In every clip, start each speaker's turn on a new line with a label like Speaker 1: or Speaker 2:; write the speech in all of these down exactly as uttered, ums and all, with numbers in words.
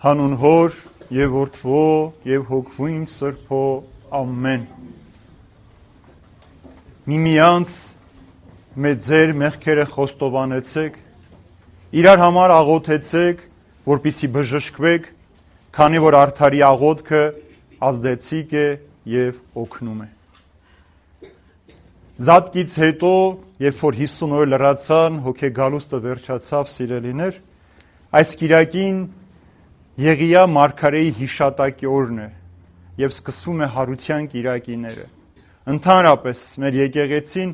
Speaker 1: Հանուն Հոր եւ Որդվո եւ Հոգվույն Սրբո ամեն։ Միմյանց մեծ ձեր մեղքերը խոստովանեցեք, իրար համար աղոթեցեք, որպեսզի բժշկվեք, քանի որ արդարի աղոթքը ազդեցիկ է եւ օգնում է։ Զատկից հետո, երբ որ հիսուն օր լրացան, հոգեգալուստը վերջացավ, սիրելիներ, այս կիրակին Եղիա մարգարեի հիշատակի օրն է եւ սկսվում է հարության կիրակիները։ Ընդհանրապես մեր եկեղեցին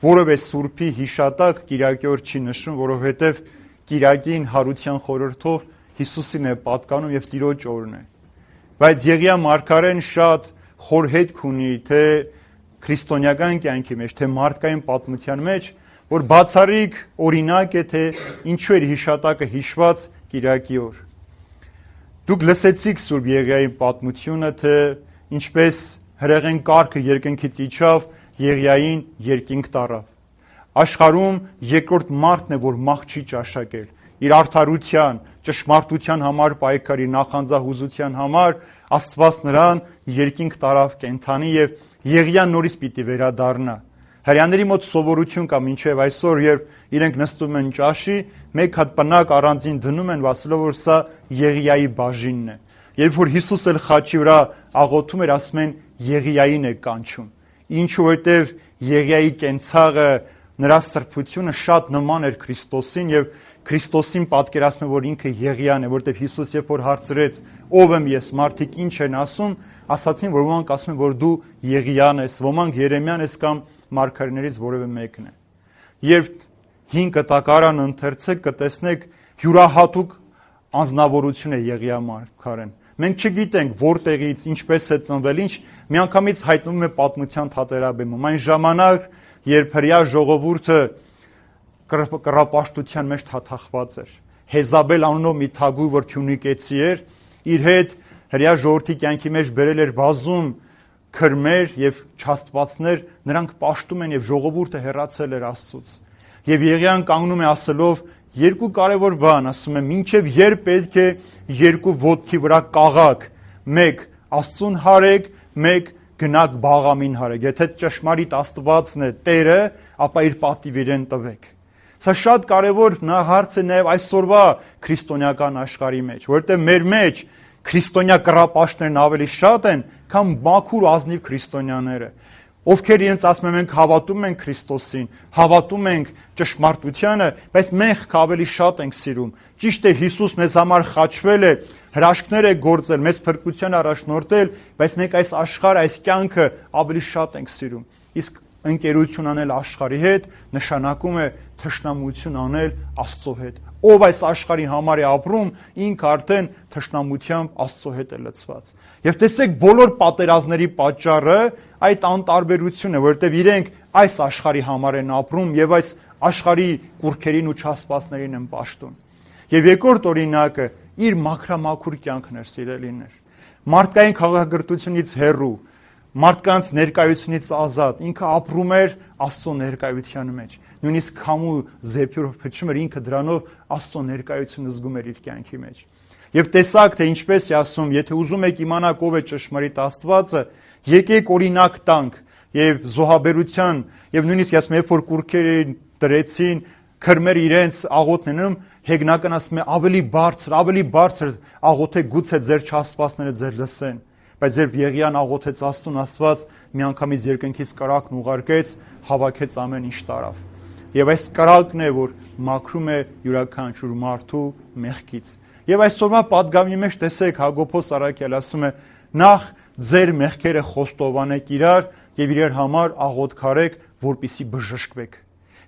Speaker 1: որևէ սուրբի հիշատակ կիրակի օր չի նշում, որովհետեւ կիրակին հարության խորհրդով Հիսուսին է պատկանում եւ Տիրոջ օրն է։ Բայց Եղիա մարգարեն շատ խոր հետք ունի թե քրիստոնեական կյանքի մեջ, թե մարդկային պատմության մեջ, որ բացառիկ օրինակ է թե ինչու էր հիշատակը հիշված կիրակի օր։ Դուք լսեցիք Սուրբ Եղիայի պատմությունը, թե ինչպես հրեղեն կարգը երկնքից իջավ, Եղիային երկինք տարավ։ Աշխարհում երկրորդ մարդն է, որ մահ չի ճաշակել։ Իր արդարության, ճշմարտության համար պայքարի, նախանձահուզության համար Աստված նրան երկինք տարավ կենդանի եւ Եղիան նորից պիտի վերադառնա։ Հрьяաների մոտ սովորություն կա մինչև այսօր, երբ իրենք նստում են ճաշի, մեկ հատ պնակ առանձին դնում են, ասելով որ սա Եղիայի բաժինն է։ Երբ որ Հիսուս էլ խաչի վրա աղոթում էր, ասում են Եղիային է կանչում։ Ինչու որտեվ Եղիայի կենցաղը, նրա սրբությունը շատ նման էր Քրիստոսին եւ Քրիստոսին պատկերացնում է, որ ինքը Եղիան է, որտեվ Հիսուս երբ որ հարցրեց ով եմ ես, մարդիկ ինչ են ասում, ասացին, որ ոմանք ասում են, որ դու Եղիան ես, ոմանք Երեմիան ես կամ մարգարեներից որևէ մեկն է։ Երբ հին կտակարան ընթերցեք, կտեսնեք յուրահատուկ անձնավորություն է Եղիա մարգարեն։ Մենք չգիտենք որտեղից, ինչպես է ծնվել, ինչ միանգամից հայտնվում է պատմության թատերաբեմում։ Այն ժամանակ, երբ հրյա ժողովուրդը կռապաշտության մեջ թաթախված էր, Հեզաբել անունով մի թագուհի, որ փյունիկեցի էր, իր հետ հրյա ժողովրդի կյանքի մեջ բերել էր բազում քրմեր եւ չաստվածներ, նրանք պաշտում են եւ ժողովուրդը հեռացել էր Աստծուց։ Եվ Եղիան կանգնում է ասելով երկու կարևոր բան, ասում է մինչեւ երբ պետք է երկու ոտքի վրա կաղաք, մեկ Աստծուն հարեք, մեկ գնաք բաղամին հարեք։ Եթե ճշմարիտ Աստվածն է Տերը, ապա իր պատիվ իրեն տվեք։ Սա շատ կարևոր հարց է նաեւ այսօրվա քրիստոնեական աշխարհի մեջ, որտեղ մեր մեջ քրիստոնյա կռապաշտներն ավելի շատ են, քան մաքուր ազնիվ քրիստոնյաները, ովքեր իրենց ասում են մենք հավատում ենք Քրիստոսին, հավատում ենք ճշմարտությանը, բայց մենք ավելի շատ ենք սիրում։ Ճիշտ է, Հիսուս մեզ համար խաչվել է, հրաշքներ է գործել, մեզ փրկության առաջնորդել, բայց մենք այս աշխարհը, այս կյանքը ավելի շատ ենք սիրում։ Իսկ ընկերություն անել աշխարհի հետ նշանակում է թշնամություն անել Աստծո հետ։ Ով այս աշխարհի համար է ապրում, ինքը արդեն թշնամությամբ Աստծո հետ է լցված։ Եվ տեսեք, բոլոր պատերազմների պատճառը այդ անտարբերությունն է, որովհետև իրենք այս աշխարհի համար են ապրում եւ այս աշխարհի կուրքերին ու չաստվածներին են պաշտում։ Եվ երկրորդ օրինակը իր մաքրամաքուր կյանքն էր, սիրելիներ։ Մարդկային քաղաքակրթությունից հեռու, մարդկանց ներկայությունից ազատ, ինքը ապրում էր Աստծո ներկայության մեջ։ Նույնիսկ քամու զեփյուրով փչում էր, ինքը դրանով Աստծո ներկայությունը զգում էր իր կյանքի մեջ։ Եվ տեսակ թե ինչպես է ասում, եթե ուզում եք իմանալ ով է ճշմարիտ Աստվածը, եկեք օրինակ տանք եւ զոհաբերության եւ նույնիսկ ասում երբ որ կուրքերին դրեցին, քրմեր իրենց աղոթներում, հեգնական ասում է ավելի բարձր, ավելի բարձր աղոթե գուցե ձեր չաստվածները ձեր լսեն։ Բայց երբ Եղիան աղոթեց Աստծուն, Աստված միանգամից երկնքից կրակն ուղարկեց, հավաքեց ամեն ինչ տարավ։ Եվ այս կրակն է, որ մաքրում է յուրաքանչյուր մարդու մեղքից։ Եվ այսօրվա պատգամի մեջ տեսեք Հակոբոս Առաքյալ ասում է. նախ ձեր մեղքերը խոստովանեք իրար եւ իրար համար աղոթքարեք, որպեսզի բժշկվեք։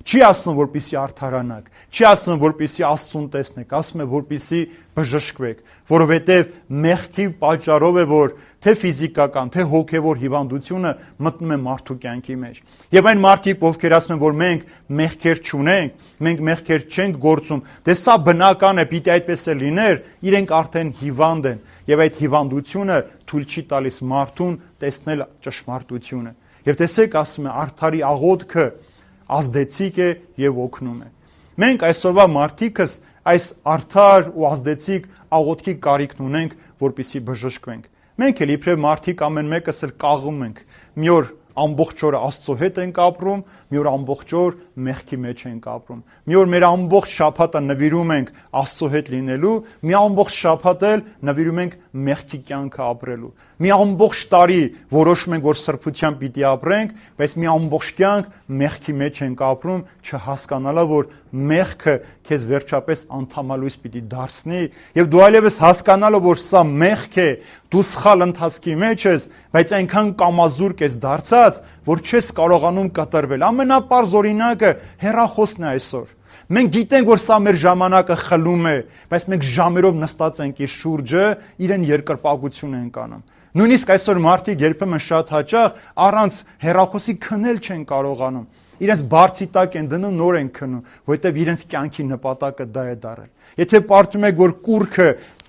Speaker 1: Չի ասում, որպեսզի արդարանաք, չի ասում, որպեսզի Աստծուն տեսնեք, ասում է, որպեսզի բժշկվեք, որովհետև մեղքի պատճառով է, որ թե ֆիզիկական, թե հոգևոր հիվանդությունը մտնում է մարդու կյանքի մեջ։ Եվ այն մարդիկ, ովքեր ասում են, որ մենք մեղքեր չունենք, մենք մեղքեր չենք գործում, դե սա բնական է, պիտի այդպես է լիներ, իրենք արդեն հիվանդ են, եւ այդ հիվանդությունը թույլ չի տալիս մարդուն տեսնել ճշմարտությունը։ Եվ տեսեք, ասում է, արդարի աղոթքը ազդեցիկ է եւ օգնում է։ Մենք այսօրվա մարդիկս այս արդար ու ազդեցիկ աղոթքի կարիքն ունենք, որպեսզի բժշկվենք։ Մենք էլ իբրև մարդիկ ամեն մեկս էլ կաղում ենք։ Մի օր ամբողջ օրը Աստծո հետ ենք ապրում, մի օր ամբողջ օր մեղքի մեջ ենք ապրում։ Մի օր մեր ամբողջ շաբաթը նվիրում ենք Աստծո հետ լինելու, մի ամբողջ շաբաթ էլ նվիրում ենք մեղքի կյանքը ապրելու։ Մի ամբողջ տարի որոշում ենք, որ սրբությամբ պիտի ապրենք, բայց մի ամբողջ կյանք մեղքի մեջ ենք ապրում, չհասկանալով, որ մեղքը քեզ վերջապես անդամալույս պիտի դարձնի, եւ դու այլևս հասկանալով, որ սա մեղք է, դու սխալ ընթացքի մեջ ես, բայց այնքան կամազուրկ ես դարձած, որ չես կարողանում կտրվել։ Ամենապարզ օրինակը հեռախոսն է այսօր։ Մենք գիտենք, որ սա մեր ժամանակը խլում է, բայց մենք ժամերով նստած ենք իր շուրջը, իրեն երկրպագություն ենք անում։ Նույնիսկ այսօր մարդիկ երբեմն շատ հաճախ առանց հեռախոսի քնել չեն կարողանում։ Իրենց բարձի տակ են դնում, նոր են քնում, որովհետև իրենց կյանքի նպատակը դա է դարել։ Եթե պարտում եք, որ կուրքը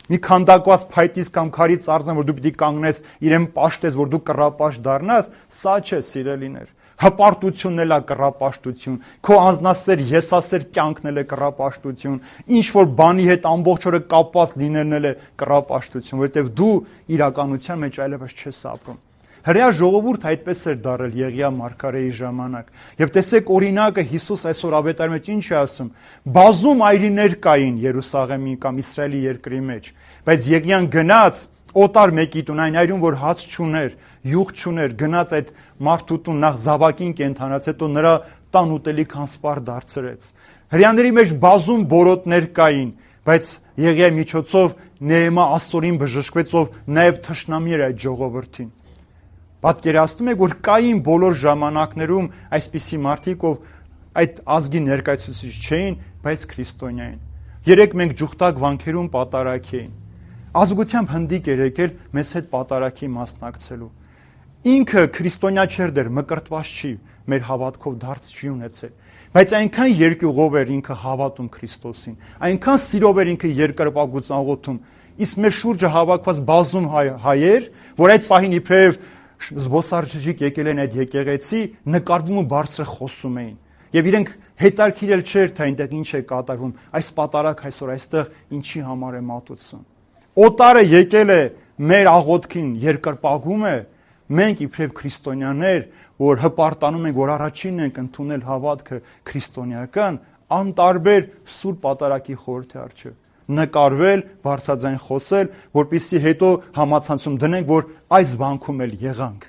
Speaker 1: մի քանդակված փայտից կամ քարից արձան, որ դու պիտի կանգնես, իրեն պաշտես, որ դու կռապաշտ դառնաս, սա չէ, սիրելիներ։ Հպարտությունն էլ է կռապաշտություն, քո անձնասեր, եսասեր կյանքն էլ է կռապաշտություն, ինչ որ բանի հետ ամբողջ օրը կապված լինելն էլ է կռապաշտություն, որովհետև դու իրականության մեջ այլևս չես ապրում։ Հրեա ժողովուրդ այդպես էր դարել Եղիա մարգարեի ժամանակ։ Եվ տեսեք օրինակը Հիսուս այսօր ավետարանի մեջ ինչ է ասում. բազում այրիներ կային Երուսաղեմի կամ Իսրայելի երկրի մեջ, բայց Եղիան գնաց օտար մեկի տուն, այն այրում, որ հաց չուներ, յուղ չուներ, գնաց այդ մարդու տուն, նախ զավակին կենդանաց, հետո նրա տան ուտելիք անսպար դարձրեց։ Հրեաների մեջ բազում բորոտներ կային, բայց Եղիայի միջոցով Նեհեմիա աստորին բժշկվեց, ով նաև թշնամի էր այդ ժողովրդին։ Պատկերացնում եք, որ կային բոլոր ժամանակներում այսպիսի մարդիկ, ով այդ ազգի ներկայացուցիչ չէին, բայց քրիստոնյա էին։ Երեք մենք ջուխտակ վանքերում պատարագ էին։ Ազգությամբ հնդիկ էր եկել մեզ հետ պատարագի մասնակցելու։ Ինքը քրիստոնյա չէր դեռ, մկրտված չի, մեր հավատքով դարձ չի ունեցել։ Բայց այնքան երկյուղով էր ինքը հավատում Քրիստոսին, այնքան սիրով էր ինքը երկրպագություն աղոթում։ Իսկ մեր շուրջը հավաքված բազում հայեր, որ այդ պահին իբրև զբոսաշրջիկ եկել են այդ եկեղեցի, նկարվում ու բարձր խոսում էին։ Եվ իրենք հետաքրքրել չէր, թե այնտեղ ինչ է կատարվում, այս պատարագ այսօր այստեղ ինչի համար է մատուցում։ Օտարը եկել է մեր աղոթքին երկրպագում է, մենք իբրև քրիստոնյաներ, որ հպարտանում ենք, որ առաջինն ենք ընդունել հավատքը քրիստոնեական, անտարբեր սուրբ պատարագի խորհրդի առջև նկարվել, բարձրաձայն խոսել, որպեսզի հետո համացանցում դնենք, որ այս վանքում էլ եղանք։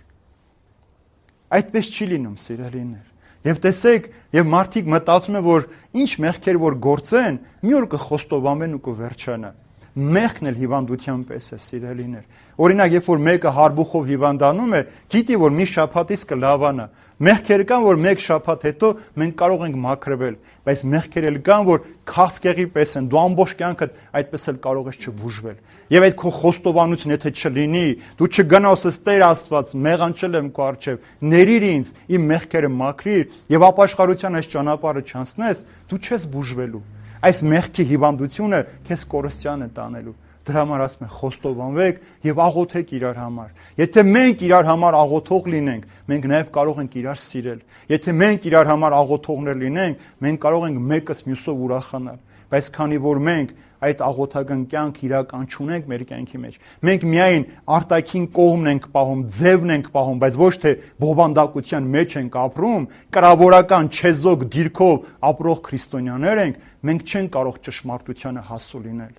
Speaker 1: Այդպես չի լինում, սիրելիներ։ Եվ տեսեք, եւ մարդիկ մտածում են, որ ինչ մեղքեր որ գործեն, մի օր կխոստովանվեն ու կվերջանա։ Մեղքն էլ հիվանդության պես է, սիրելիներ։ Օրինակ, երբ որ մեկը հարբուխով հիվանդանում է, գիտի, որ մի շաբաթից կլավանա։ Մեղքեր կան, որ մեկ շաբաթ հետո մենք կարող ենք մաքրվել, բայց մեղքեր էլ կան, որ քաղցկեղի պես են, դու ամբողջ կյանքդ այդպես էլ կարող ես չբուժվել։ Եվ այդ քո խոստովանությունը եթե չլինի, դու չգնաս ըստ Տեր Աստված, մեղանչել եմ քո առջև, ներիր ինձ, իմ մեղքերը մաքրիր եւ ապաշխարության այս ճանապարհը չանցնես, դու չես բուժվելու։ Այս մեղքի հիվանդությունը քեզ կորստյան է տանելու։ Դրա համար ասում են խոստովանվեք եւ աղոթեք իրար համար։ Եթե մենք իրար համար աղոթող լինենք, մենք նաեւ կարող ենք իրար սիրել։ Եթե մենք իրար համար աղոթողներ լինենք, մենք կարող ենք մեկս մյուսով ուրախանալ։ Բայց քանի որ մենք այդ աղոթական կյանք իրական չունենք մեր կյանքի մեջ, մենք միայն արտաքին կողմն ենք պահում, ձևն ենք պահում, բայց ոչ թե բովանդակության մեջ ենք ապրում, կրավորական չեզոք դիրքով ապրող քրիստոնյաներ ենք, մենք չենք կարող ճշմարտությանը հասու լինել։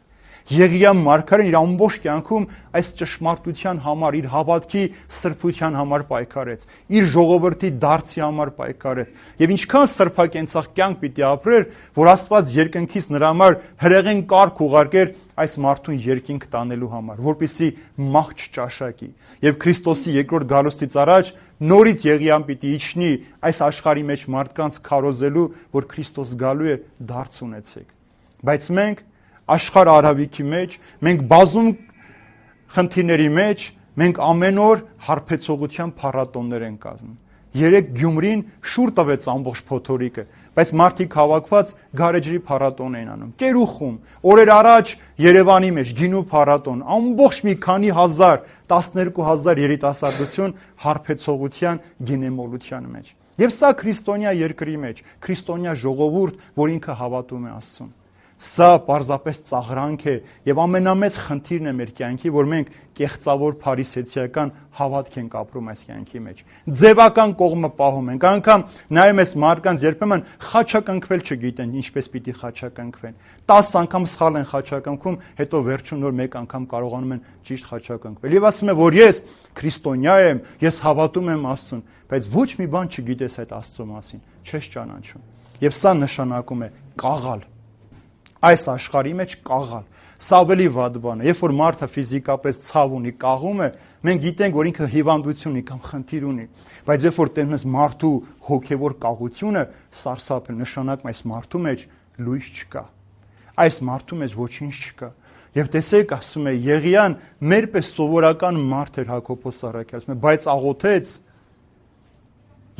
Speaker 1: Եղիա մարգարեն իր ամբողջ կյանքում այս ճշմարտության համար, իր հավատքի սրբության համար պայքարեց, իր ժողովրդի դարձի համար պայքարեց։ Եվ ինչքան սրբակենցաղ կյանք պիտի ապրեր, որ Աստված երկնքից նրա համար հրեղեն կարգ ուղարկեր այս մարդուն երկինք տանելու համար, որպեսզի մահ չճաշակի։ Եվ Քրիստոսի երկրորդ գալուստից առաջ նորից Եղիան պիտի իջնի այս աշխարհի մեջ մարդկանց քարոզելու, որ Քրիստոս գալու է, դարձ ունեցեք։ Բայց մենք աշխարհ արհավիքի մեջ, մենք բազում խնդիրների մեջ, մենք ամեն օր հարբեցողության փառատոններ ենք կազմում։ Երեք Գյումրին շուռ տվեց ամբողջ փոթորիկը, բայց մարդիկ հավաքված գարեջրի փառատոն էին անում։ Կերուխում, օրեր առաջ Երևանի մեջ գինու փառատոն, ամբողջ մի քանի հազար, տասներկու հազար երիտասարդություն հարբեցողության գինեմոլության մեջ։ Եվ սա քրիստոնյա երկրի մեջ, քրիստոնյա ժողովուրդ, որ ինքը հավատում է Աստծուն։ Սա պարզապես ծաղրանք է եւ ամենամեծ խնդիրն է մեր կյանքի, որ մենք կեղծավոր փարիսեցիական հավատք ենք ապրում այս կյանքի մեջ։ Ձևական կողմը պահում ենք, անգամ նայում ես մարդկանց երբեմն խաչակնքվել չգիտեն, ինչպես պիտի խաչակնքվեն։ տասը անգամ սխալ են խաչակնքում, հետո վերջում նոր մեկ անգամ կարողանում են ճիշտ խաչակնքվել։ Եվ ասում է, որ ես քրիստոնյա եմ, ես հավատում եմ Աստծուն, բայց ոչ մի բան չգիտես այդ Աստծո մասին, չես ճանաչում։ Եվ սա նշանակում է կաղալ։ Այս աշխարհի մեջ կաղալ։ Սա ավելի վատ բան է։ Երբ որ մարդը ֆիզիկապես ցավ ունի, կաղում է, մենք գիտենք, որ ինքը հիվանդություն ունի կամ խնդիր ունի, բայց երբ որ տենում ես մարդու հոգևոր կաղությունը, սարսափ է, նշանակում այս մարդու մեջ լույս չկա։ Այս մարդու մեջ ոչինչ չկա։ Եվ տեսեք, ասում է Եղիան, մերպես սովորական մարդ էր Հակոբոս առաքյալը, ասում է, բայց աղոթեց,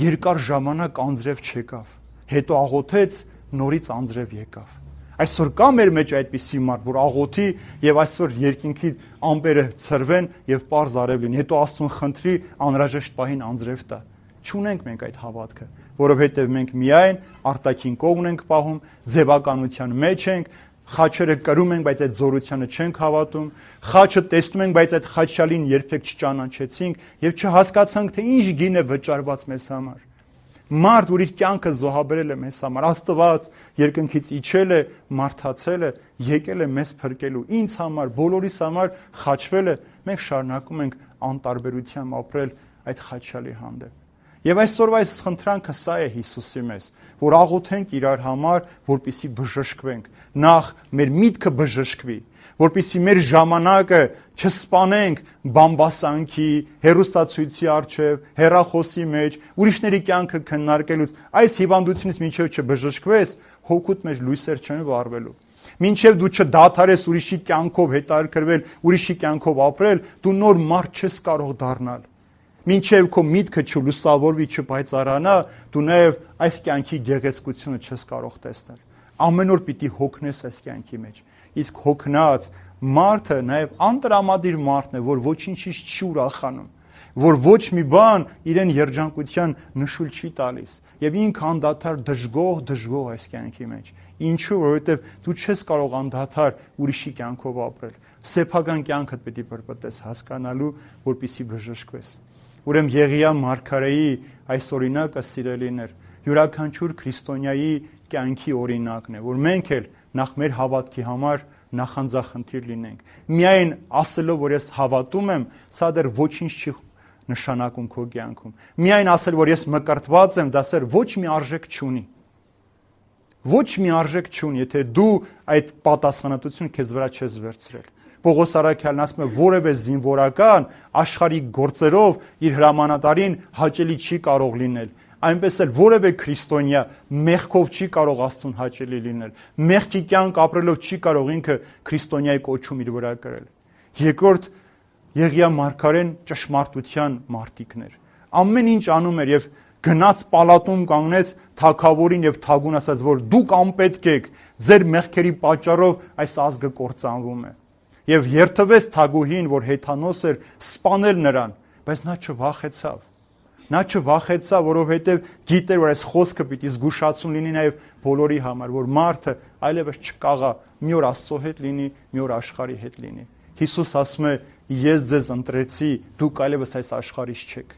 Speaker 1: երկար ժամանակ անձրև չեկավ, հետո աղոթեց, նորից անձրև եկավ։ Այսօր կա մեր մեջ այդպիսի մարդ, որ աղոթի եւ այսօր երկինքի ամպերը ցրվեն եւ պարզ արև լինի, հետո Աստծուն խնդրի անհրաժեշտ պահին անձրև տա։ Չունենք մենք այդ հավատքը, որովհետեւ մենք միայն արտաքին կողմն ենք պահում, ձևականության մեջ ենք, խաչերը կրում ենք, բայց այդ զորությանը չենք հավատում, խաչը տեսնում ենք, բայց այդ խաչյալին երբեք չճանաչեցինք եւ չհասկացանք, թե ինչ գին է վճարված մեզ համար։ Մարդ, որ իր կյանքը զոհաբերել է մեզ համար, Աստված երկնքից իջել է, մարդացել է, եկել է մեզ փրկելու, ինձ համար, բոլորիս համար խաչվել է, մենք շարունակում ենք անտարբերությամբ ապրել այդ խաչյալի հանդեպ։ Եվ այսօրվա այս խնդրանքը սա է Հիսուսի մեզ, որ աղոթենք իրար համար, որպեսզի բժշկվենք, նախ մեր միտքը բժշկվի, որպեսզի մեր ժամանակը չսպանենք բամբասանքի, հեռուստացույցի առջև, հեռախոսի մեջ, ուրիշների կյանքը քննարկելուց, այս հիվանդությունից մինչև չբժշկվես, հոգուտ մեջ լույսեր չեն վառվելու։ Մինչև դու չդադարես ուրիշի կյանքով հետաքրքրվել, ուրիշի կյանքով ապրել, դու նոր մարդ չես կարող դառնալ։ Մինչև քո միտքը չլուսավորվի, չպայծառանա, դու նաև այս կյանքի գեղեցկությունը չես կարող տեսնել։ Ամեն օր պիտի հոգնես այս կյանքի մեջ։ Իսկ հոգնած մարդը նաև անտրամադիր մարդն է, որ ոչինչից չի ուրախանում, որ ոչ մի բան իրեն երջանկության նշույլ չի տալիս, եւ ինքը անդադար դժգոհ, դժգոհ այս կյանքի մեջ։ Ինչու՞, որովհետեւ դու չես կարող անդադար ուրիշի կյանքով ապրել։ Սեփական կյանքդ պետք է բրբտես հասկանալու, որպեսզի բժշկվես։ Ուրեմն Եղիա մարգարեի այս օրինակը սիրելիներ, յուրաքանչյուր քրիստոնյայի կյանքի օրինակն է, որ մենք էլ նախ մեր հավատքի համար նախանձախնդիր լինենք։ Միայն ասելով, որ ես հավատում եմ, սա դեռ ոչինչ չի նշանակում քո կյանքում։ Միայն ասել, որ ես մկրտված եմ, դա սեր ոչ մի արժեք չունի։ Ոչ մի արժեք չունի, եթե դու այդ պատասխանատվությունը քեզ վրա չես վերցրել։ Պողոս առաքյալն ասում է, որևէ զինվորական աշխարհի գործերով իր հրամանատարին հաճելի չի կարող լինել։ Այնպես էլ որևէ քրիստոնյա մեղքով չի կարող Աստծուն հաճելի լինել։ Մեղքի կյանք ապրելով չի կարող ինքը քրիստոնյայի կոչում իր վրա կրել։ Երկրորդ, Եղիա մարգարեն ճշմարտության մարտիկն էր։ Ամեն ինչ անում էր եւ գնաց պալատում կանգնեց թագավորին եւ թագուն ասաց, որ դուք անպետք եք, ձեր մեղքերի պատճառով այս ազգը կործանվում է։ Եվ երթվեց թագուհին, որ հեթանոս էր, սպանել նրան, բայց նա չվախեցավ։ Նա չվախեցավ, որովհետև գիտեր, որ այս խոսքը պիտի զգուշացում լինի նաև բոլորի համար, որ մարդը այլևս չկաղա, մի օր Աստծո հետ լինի, մի օր աշխարհի հետ լինի։ Հիսուս ասում է, ես ձեզ ընտրեցի, դուք այլևս այս աշխարհից չեք։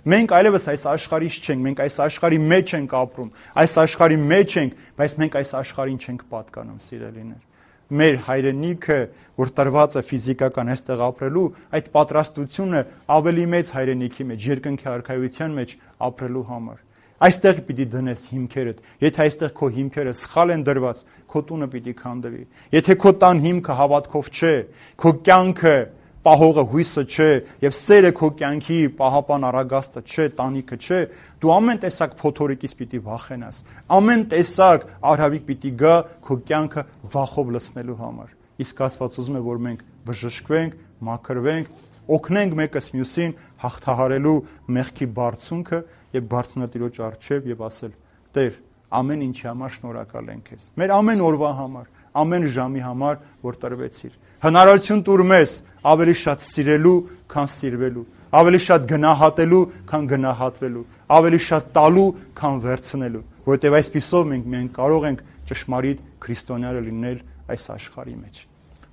Speaker 1: Մենք այլևս այս աշխարհից չենք, մենք այս աշխարհի մեջ ենք ապրում, այս աշխարհի մեջ ենք, բայց մենք այս աշխարհին չենք պատկանում, սիրելիներ։ Մեր հայրենիքը, որ տրված է ֆիզիկական այստեղ ապրելու, այդ պատրաստությունը ավելի մեծ հայրենիքի մեջ, երկնքի արքայության մեջ ապրելու համար։ Այստեղ պիտի դնես հիմքերդ։ Եթե այստեղ քո հիմքերը սխալ են դրված, քո տունը պիտի քանդվի։ Եթե քո տան հիմքը հավատքով չէ, քո կյանքը պահողը հույսը չէ, եւ սերը քո կյանքի պահապան առագաստը չէ, տանիքը չէ, դու ամեն տեսակ փոթորիկից պիտի վախենաս։ Ամեն տեսակ արհավիկ պիտի գա քո կյանքը վախով լցնելու համար։ Իսկ Աստված ուզում է, որ մենք բժշկվենք, մաքրվենք, օգնենք մեկս մյուսին հաղթահարելու մեղքի բարձունքը եւ բարձրնատիրոջ առջև եւ ասել. Տեր, ամեն ինչի համար շնորհակալ ենք քեզ։ Մեր ամեն օրվա համար, ամեն ժամի համար, որ տրվեցիր։ Հնարավորություն տուր մեզ ավելի շատ սիրելու, քան սիրվելու, ավելի շատ գնահատելու, քան գնահատվելու, ավելի շատ տալու, քան վերցնելու։ որովհետև այսպիսով մենք մենք կարող ենք ճշմարիտ քրիստոնյա լինել այս աշխարհի մեջ։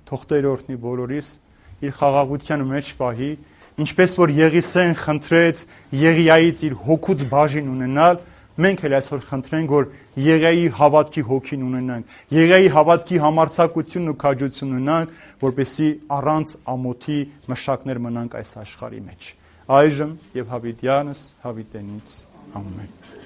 Speaker 1: Թող Տերը օրհնի բոլորիս, իր խաղաղության մեջ պահի, ինչպես որ Եղիսեն խնդրեց Եղիայից իր հոգուց բաժին ունենալ, մենք էլ այսօր խնդրենք, որ Եղիայի հավատքի հոգին ունենանք, Եղիայի հավատքի համարձակությունն ու քաջություն ունենանք, որպեսզի առանց ամոթի մշակներ մնանք այս աշխարհի մեջ։ Այժմ եւ հավիտյանս հավիտենից ամեն։